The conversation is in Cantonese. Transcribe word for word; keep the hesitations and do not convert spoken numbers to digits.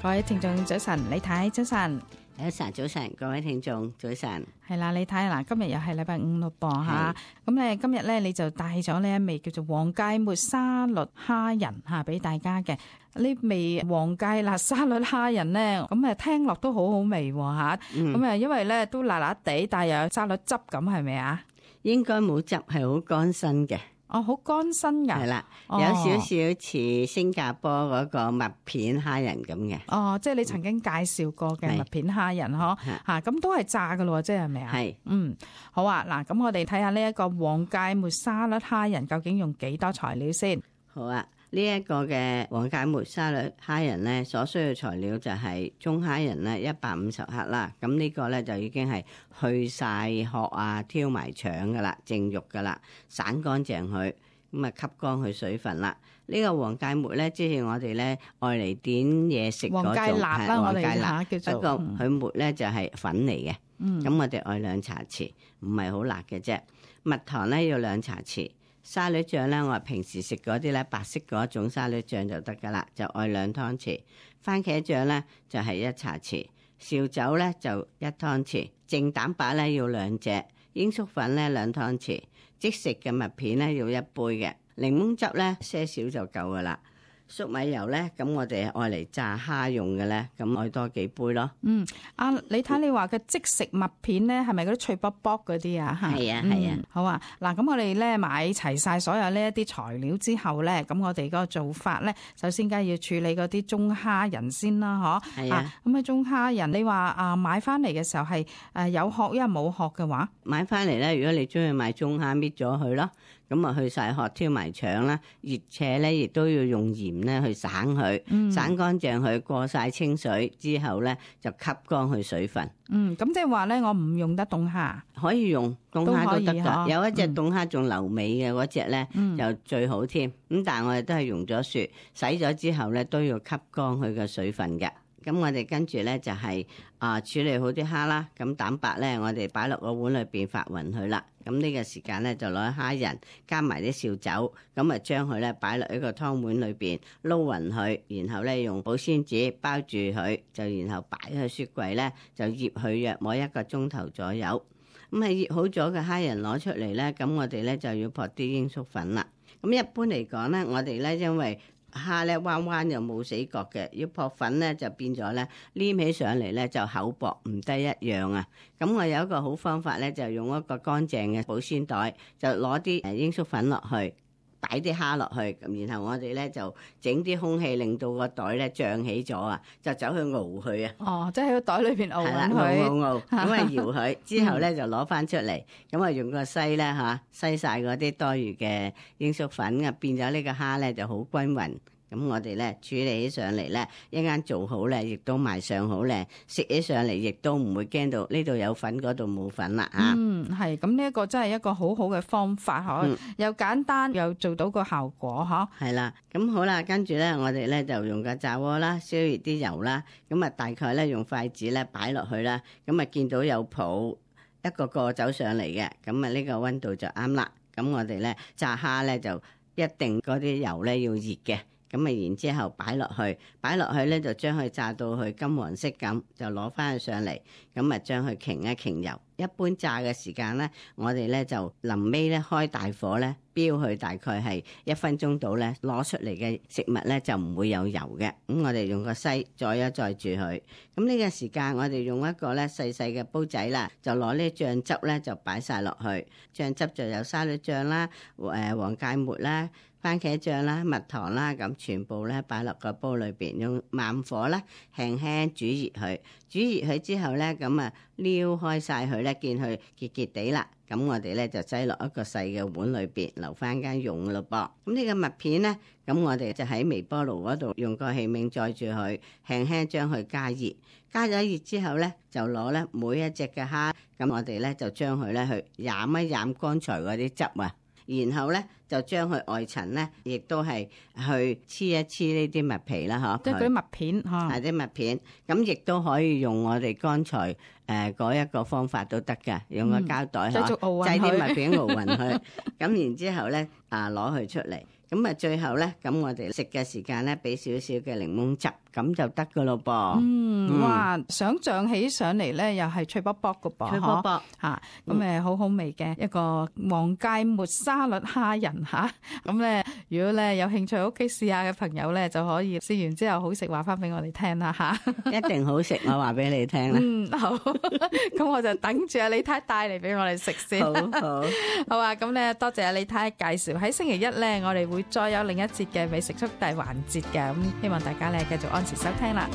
各位聽眾早晨，李太早晨，早晨早晨，各位聽眾早晨。係啦，李太嗱，今日又係禮拜五咯噃嚇，咁咧今日咧你就帶咗呢一味叫做黃芥末沙律蝦仁嚇俾大家嘅。呢味黃芥辣沙律蝦仁咧，咁誒聽落都好好味喎嚇，咁誒、嗯、因為咧都辣辣地，但係又有沙律汁咁，係咪啊？應該冇汁，係好乾身嘅。哦，好乾身㗎，係啦，有少少似新加坡嗰個麥片蝦仁咁嘅。哦，即係你曾經介紹過嘅麥片蝦仁嗬，嚇咁都係炸㗎咯，即係咪啊？係，嗯，好啊，嗱，咁我哋睇下呢一個黃芥末沙律蝦仁究竟用幾多材料先？好啊。呢一個嘅黃芥末沙律蝦仁咧，所需要材料就係中蝦仁咧一百五十克啦。咁呢個咧就已經係去晒殼啊，挑埋腸噶啦，淨肉噶啦，散乾淨佢，咁啊吸乾佢水分啦。呢、這個黃芥末咧，即係我哋咧愛嚟點嘢食嗰種，黃芥辣啦，我哋嚇叫做。不過佢末咧就係粉嚟嘅，咁、嗯、我哋愛兩茶匙，唔係好辣嘅啫。蜜糖咧要兩茶匙。沙律醬咧，我平時食嗰啲咧白色嗰種沙律醬就得噶啦，就愛兩湯匙。番茄醬咧就係一茶匙，紹酒咧就一湯匙，淨蛋白咧要兩隻，鷹粟粉咧兩湯匙，即食嘅麥片咧要一杯嘅，檸檬汁咧些少就夠噶啦。粟米油咧，咁我哋愛嚟炸蝦用嘅咧，咁愛多幾杯咯。嗯，啊，你睇你話嘅即食麥片咧，係咪嗰啲脆卜卜嗰啲啊？係啊，係啊、嗯。好啊，嗱，咁我哋咧買齊晒所有呢一啲材料之後咧，咁我哋嗰個做法咧，首先梗係要處理嗰啲中蝦仁先啦，嗬。係啊。咁啊，中蝦仁，你話啊買翻嚟嘅時候係誒有殼，因為冇殼嘅話，買翻嚟咧，如果你中意買中蝦，搣咗佢咯。咁啊，去晒殼，挑埋腸啦，而且咧亦都要用鹽咧去省佢，嗯、省乾淨佢，過晒清水之後咧就吸乾佢水分。嗯，咁即係話咧，我唔用得凍蝦，可以用凍蝦都得噶。有一隻凍蝦仲留味嘅嗰隻咧，嗯、就最好添。咁但係我哋都係用咗雪，洗咗之後咧都要吸乾佢嘅水分嘅。咁我哋跟住咧就係、是、啊處理好啲蝦啦，咁蛋白咧我哋擺落個碗裏邊發勻佢啦。咁呢個時間咧就攞蝦仁加埋啲紹酒，咁啊將佢咧擺落一個湯碗裏邊撈勻佢，然後咧用保鮮紙包住佢，就然後擺喺雪櫃咧就醃佢約摸一個鐘頭左右。咁係醃好咗嘅蝦仁攞出嚟咧，咁我哋咧就要撲啲鷹粟粉啦。咁一般嚟講咧，我哋咧因為蝦咧彎彎又冇死角嘅，要撲粉咧就變咗咧黏起上嚟咧就厚薄唔得一樣啊！咁我有一個好方法咧，就用一個乾淨嘅保鮮袋，就攞啲誒鷹粟粉落去，擺啲蝦落去，咁然後我哋咧就整啲空氣，令到個袋咧脹起咗啊，就走去熬佢啊！哦，即係喺個袋裏邊熬緊佢，熬熬熬，咁啊搖佢之後咧就攞翻出嚟，咁啊用個篩咧嚇篩晒嗰啲多餘嘅鷹粟粉啊，變咗呢個蝦咧就好均勻。咁我哋咧處理起上嚟咧，一間做好咧，亦都賣相好靚，食起上嚟亦都唔會驚到呢度有粉嗰度冇粉啦嚇。嗯，係，咁呢一個真係一個好好嘅方法嗬，嗯、又簡單又做到個效果嗬。係啦，咁好啦，跟住咧我哋咧就用個炸鍋啦，燒熱啲油啦，咁啊大概咧用筷子咧擺落去啦，咁啊見到有泡一個個走上嚟嘅，咁啊呢個溫度就啱啦。咁我哋咧炸蝦咧就一定嗰啲油咧要熱嘅。咁啊，然之後擺落去，擺落去咧就將佢炸到去金黃色咁，就攞翻去上嚟，咁啊將佢擎一擎油。一般炸嘅時間咧，我哋咧就臨尾咧開大火咧，飆佢大概係一分鐘到咧，攞出嚟嘅食物咧就唔會有油嘅。咁我哋用個篩載一載住佢。咁呢個時間我哋用一個咧細細嘅煲仔啦，就攞呢醬汁咧就擺晒落去。醬汁就有沙律醬啦、誒黃芥末啦、番茄醬啦、蜜糖啦，咁全部咧擺落個煲裏邊，用慢火啦，輕輕煮熱佢。煮熱佢之後咧，咁啊撩開晒佢咧，見佢結結地啦。咁我哋咧就擠落一個細嘅碗裏邊，留翻間用咯噃。咁呢個麥片咧，咁我哋就喺微波爐嗰度用個器皿載住佢，輕輕將佢加熱。加咗熱之後咧，就攞咧每一隻嘅蝦，咁我哋咧就將佢咧去飲一飲剛才嗰啲汁啊。然後咧就將佢外層咧，亦都係去黐一黐呢啲麥皮啦，嗬，即係嗰啲麥片，係啲麥片，咁亦都可以用我哋剛才誒嗰一個方法都得㗎，用個膠袋嗬，擠啲麥片熬勻佢，咁然之後咧啊攞佢出嚟，咁啊最後咧，咁我哋食嘅時間咧，俾少少嘅檸檬汁，咁就得噶咯噃。嗯，哇！想像起上嚟咧，又係脆卜卜嘅噃，脆卜卜嚇，咁誒好好味嘅一個黃芥末沙律蝦仁嚇。咁咧，如果咧有興趣屋企試下嘅朋友咧，就可以試完之後好食話翻俾我哋聽啦嚇。一定好食，我話俾你聽啦。嗯，好，咁我就等住阿李太帶嚟俾我哋食先。好好，好啊，咁咧多謝阿李太介紹。喺星期一咧，我哋會再有另一節嘅美食速遞環節嘅，咁希望大家咧繼續按時收聽啦。